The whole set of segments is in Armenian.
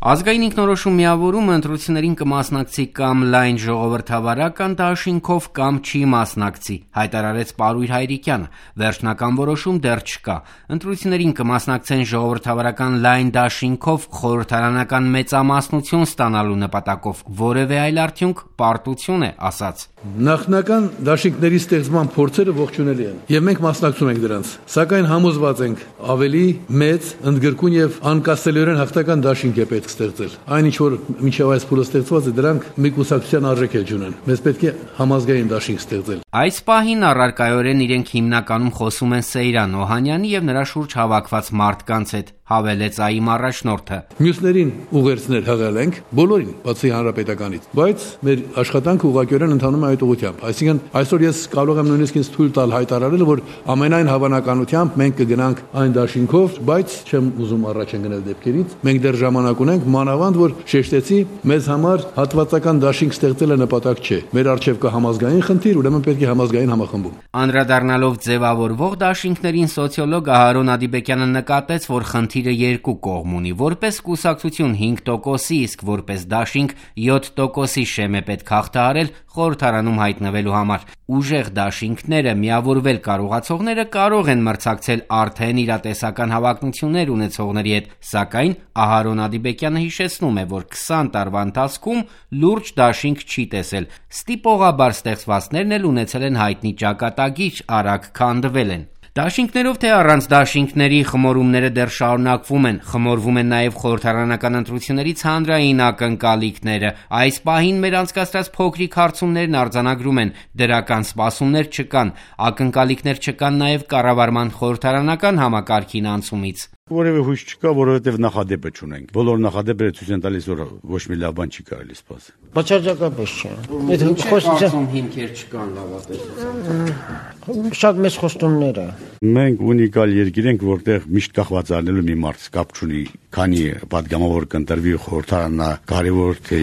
Ազգային ինքնորոշում միավորումը ընտրություններին կմասնակցի կամ լայն ժողովրդավարական դաշինքով կամ չի մասնակցի, հայտարարեց Պարույր Հայրիկյանը։ Վերջնական որոշում դեռ չկա։ Ընտրություններին կմասնակցեն ժողովրդավարական լայն դաշինքով խորհրդարանական մեծամասնություն ստանալու նպատակով, որևէ այլ արդյունք պարտություն է, ասաց։ Նախնական դաշինքների ստեղծման փորձերը ողջունելի են, եւ մենք մասնակցում ենք դրանց։ Սակայն համոզված ենք, ավելի մեծ, ընդգրկուն եւ անկասելիորեն հաղթական դաշինք է պետք ստեղծել։ Այն ինչ որ մինչև այս փուլը ստեղծված է, դրանք մի կուսակցության արժեք է ունեն։ Մեզ պետք է համազգային դաշինք ստեղծել։ Այս պահին առարկայորեն իրենք հիմնականում խոսում են Սեյրան Օհանյանի եւ նրա շուրջ հավաքված մարդկանց հետ, հավելեց ԱԻՄ առաջնորդը։ Մյուսներին ուղերձներ հղել ենք, բոլորին, բացի հանրապետականից, բայց մեր աշխատանքը ուղղակիորեն ընթանում է այդ ուղղությամբ։ Այսինքն այսօր ես կարող եմ նույնիսկ ինձ թույլ տալ հայտարարել, որ ամենայն հավանականությամբ մենք կգնանք այն դաշինքով, բայց չեմ ուզում առաջ գնել դեպքերից։ Մենք դեռ ժամանակ ունենք, մանավանդ որ շեշտեցի, մեզ համար հատվածական դաշինք ստեղծելը նպատակ չէ։ Մեր առջև կա համազգային խնդիր, ուրեմն պետք է համազգային համախմբում։ Անդրադառնալով ձևավորվող դաշինքներին, սոցիոլոգ Ահարոն Ադիբեկյանը նկատեց, որ խնդիրը երկու կողմ ունի, որպես կուսակցություն 5%-ի, իսկ որպես դաշինք 7%-ի շեմ է պետք հաղթահարել խորհրդարանում հայտնվելու համար։ Ուժեղ դաշինքները, միավորվել կարողացողները կարող են մրցակցել արդեն իրատեսական հավակնություններ ունեցողների հետ, սակայն Ահարոն Ադիբեկյանը հիշեցնում է, որ 20 տարվա ընթացքում լուրջ դաշինք չի տեսել։ Ստիպողաբար ստեղծվածներն էլ ունեցել են հայտնի ճակատագիր, արագ քանդվել են։ Դաշինքներով թե առանց դաշինքների խմորումները դեռ շարունակվում են, խմորվում են նաև խորհրդարանական ընտրություններից հանրային ակնկալիքները։ Այս պահին մեր անցկացրած փոքրիկ հարցումներն արձանագրում են, դրական սպասումներ չկան, ակնկալիքներ չկան նաև կառավարման խորհրդարանական համակարգին անցումից։ Որևէ հույս չկա, որովհետև նախադեպը չունենք։ Բոլոր նախադեպերը ցույց են տալիս, որ ոչ մի լավ բան չի կարելի սպասել։ Բացարձակապես չէ։ Խոսում հիմքեր չկան լավատեսության։ Շատ մեծ խոստումներ է։ Մենք ունիկալ երկիր ենք, որտեղ միշտ կախված առնելու մի մարդ կապ չունի, քանի պատգամավոր կընտրվի խորհրդարանա, կարևոր թե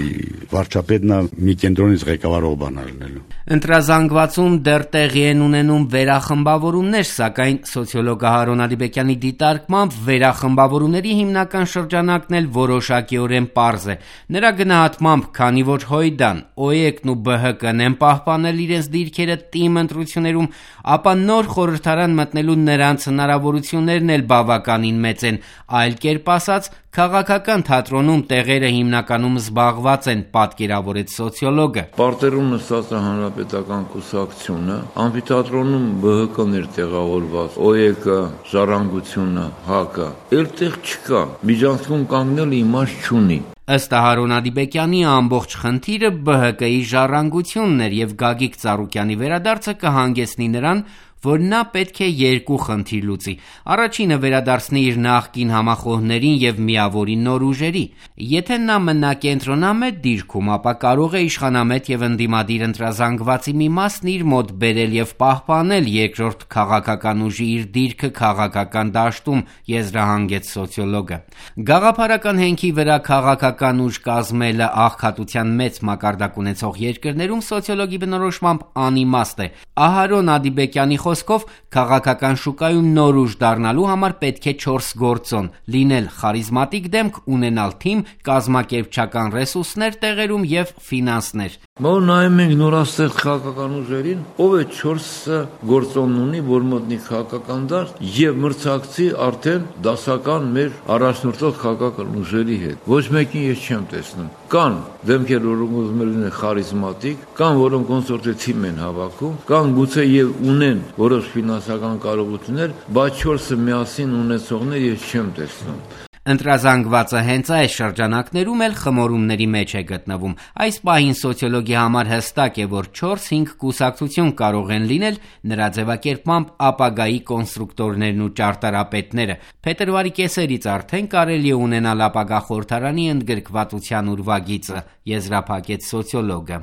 վարչապետն է մի կենտրոնից ղեկավարող բան առնելու։ Ընտրազանգվածում դեռ տեղի են ունենում վերախմբավորումներ, սակայն սոցիոլոգ Ահարոն Ադիբեկյանի դիտարկմամբ վերախմբավորումների հիմնական շրջանակն էլ որոշակիորեն պարզ է։ Նրա գնահատմամբ, քանի որ Հույդան, ՕԵԿ-ն ու ԲՀԿ-ն են պահպանել իրենց դիրքերը ՏԻՄ ընտրություններում, ապա նոր խորհրդարան մտնելու նրանց հնարավորություններն էլ բավականին մեծ են։ Այլ կերպ ասած, քաղաքական թատրոնում տեղերը հիմնականում զբաղված են, պատկերավորեց սոցիոլոգը։ Պարտերում նստած է հանրապետական կուսակցությունը, ամֆիթատրոնում ԲՀԿ-ն էր տեղավորված, ՕԵԿ-ը, Ժառանգությունը, ՀԱԿ-ը, այլտեղ չկա, միջանցքում կանգնել իմաստ չունի։ Ըստ Ահարոն Ադիբեկյանի ամբողջ խնդիրը ԲՀԿ-ի ժառանգությունն էր եւ Գագիկ Ծառուկյանի վերադարձը կհանգեցնի նրան, որ նա պետք է երկու խնդիր լուծի։ Առաջինը վերադարձնի իր նախկին համախոհներին եւ միավորի նոր ուժերի։ Եթե նա մնա կենտրոնամետ դիրքում, ապա կարող է իշխանամետ եւ ընդդիմադիր ընտրազանգվածի մի մասն իր մոտ բերել եւ պահպանել երկրորդ քաղաքական ուժի իր դիրքը քաղաքական դաշտում, եզրահանգեց սոցիոլոգը։ Գաղափարական հենքի վրա քաղաքական ուժ կազմելը աղքատության մեծ մակարդակ ունեցող երկրներում սոցիոլոգի բնորոշմամբ անիմաստ է։ Ահարոն Ադիբեկյանի խոսքով քաղաքական շուկայում նոր ուժ դառնալու համար պետք է 4 գործոն՝ լինել խարիզմատիկ դեմք, ունենալ թիմ, կազմակերպչական ռեսուրսներ տեղերում եւ ֆինանսներ։ Որ նայում ենք նորաստեղծ քաղաքական ուժերին, ով է 4 գործոնն ունի, որ մտնի քաղաքական դաշտ եւ մրցակցի արդեն դասական մեր առաջնորդող քաղաքական ուժերի հետ։ Ոչ մեկին ես չեմ տեսնում։ Կան դեմքեր, որոնք ուզում են լինել խարիզմատիկ, կան որոնք կոնսորտիվ են հավաքում, կան գուցե եւ ունեն որոշ ֆինանսական կարողություններ, բայց 4-ը միասին ունեցողներ ես չեմ տեսնում։ Ընտրազանգվածը հենց այս շրջանակներում էլ խմորումների մեջ է գտնվում։ Այս պահին սոցիոլոգի համար հստակ է, որ 4-5 կուսակցություն կարող են լինել, նրա ձևակերպմամբ ապագայի կոնստրուկտորներն ու ճարտարապետները։ Փետրվարի կեսերից արդեն կարելի է ունենալ ապագա խորհրդարանի ընդգրկվածության ուրվագիծը, եզրափակեց սոցիոլոգը։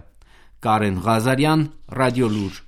Կարեն Ղազարյան, Ռադիոլուր։